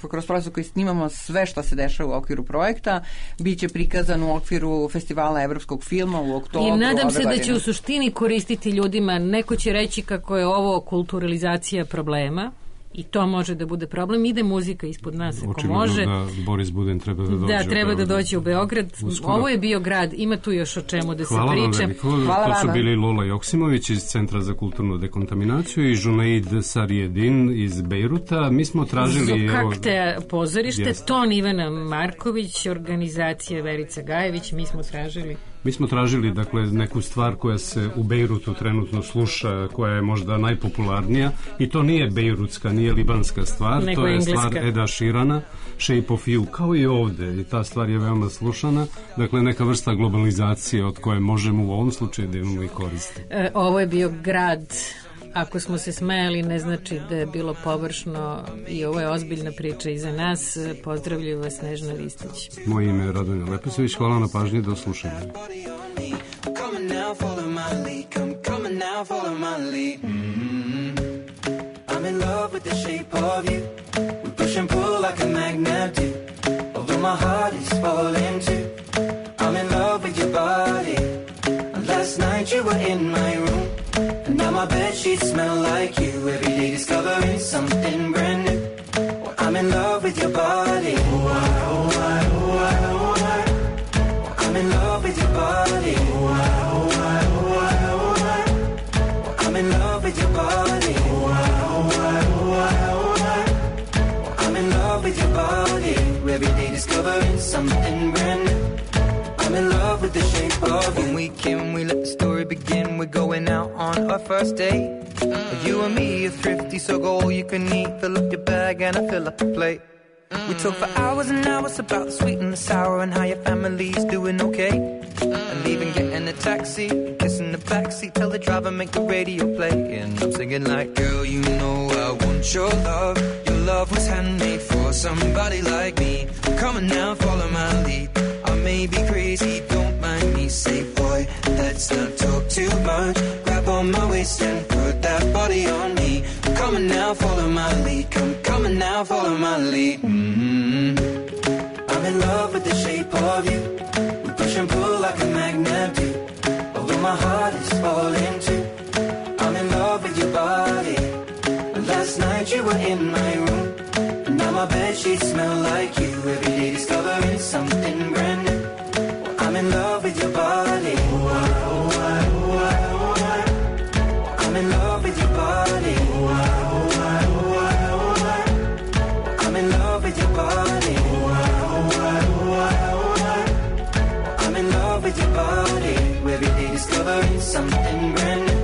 kroz proces koji snimamo sve što se dešava u okviru projekta, bit će prikazan u okviru festivala evropskog filma u oktobru. I nadam se da će u suštini koristiti ljudima. Neko će reći kako je ovo kulturalizacija problema i to može da bude problem. Ide muzika ispod nas ako očigledno može. Da Boris Buden treba da dođe. Da, treba da dođe u Beograd. Ovo je bio grad, ima tu još o čemu da se priča. Hvala vam. To su bili Lola Joksimović iz Centra za kulturnu dekontaminaciju i Junaid Sarjedin iz Bejruta. Mi smo tražili... Zokakte pozorište, Ton Ivana Marković, organizacija Verica Gajević, mi smo tražili dakle neku stvar koja se u Bejrutu trenutno sluša, koja je možda najpopularnija i to nije bejrutska, nije libanska stvar, to je stvar Eda Širana, Shape of You, kao i ovde i ta stvar je veoma slušana, dakle neka vrsta globalizacije od koje možemo u ovom slučaju da imamo i koristi. Ovo je bio grad. Ako smo se smejali, ne znači da je bilo površno i ovo je ozbiljna priča i za nas. Pozdravljaju vas Snežna Ristić. Moje ime je Radonja Lepesović, hvala na pažnji, do slušanja. I'm in love with the shape of you. We push and pull like a magnet do. Although my heart is falling too. I'm in love with your body. Last night you were in my room. And now my bedsheets smell like you. Every day discovering something brand new. Well, I'm in love with your body. Oh, I, oh, I, oh, I, oh, I. Well, I'm in love with your body. Oh, I, oh, I, oh, I, oh, I. Well, I'm in love with your body. Oh, I, oh, I, oh, I, oh, I. Well, I'm in love with your body. Every day discovering something brand new. I'm in love with the shape of you. When we came, we let the story begin. We're going out on our first date. You and me are thrifty, so go all you can eat. Fill up your bag and I fill up the plate. We talk for hours and hours about the sweet and the sour and how your family's doing okay. And leaving, getting a taxi, kissing the backseat, tell the driver make the radio play. And I'm singing like, girl, you know I want your love. Your love was handmade for somebody like me. Come on now, follow my lead. I may be crazy, don't mind me. Say, boy, let's not talk too much. Grab on my waist and put that body on me. Come on now, follow my lead. Come on now, follow my lead. I'm in love with the shape of you. We push and pull like a magnet do. Although my heart is falling too. I'm in love with your body. Last night you were in my room. And now my bedsheets smell like you. Every day discovering something brand new. I'm in love with your body. I'm in love with your body. I'm in love with your body. I'm in love with your body. Every day discovering something brand new.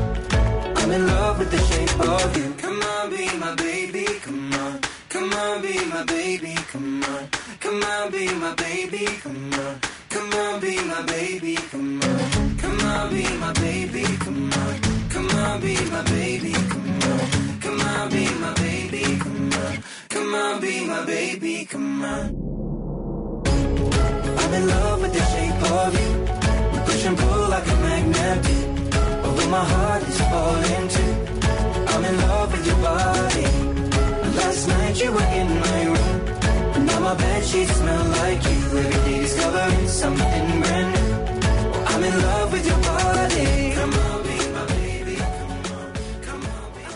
I'm in love with the shape of you. Come on, be my baby, come on. Come on, be my baby, come on. Come on, be my baby, come on. Come on, be my baby, come on. Come on, be my baby, come on. Come on, be my baby, come on. Come on, be my baby, come on. Come on, be my baby, come on. I'm in love with the shape of you. We push and pull like a magnet do. Although my heart is falling too. I'm in love with your body. Last night you were in my room. Now my bedsheets smell like you. Every day discovering something brand new. I'm in love with your body. Come on.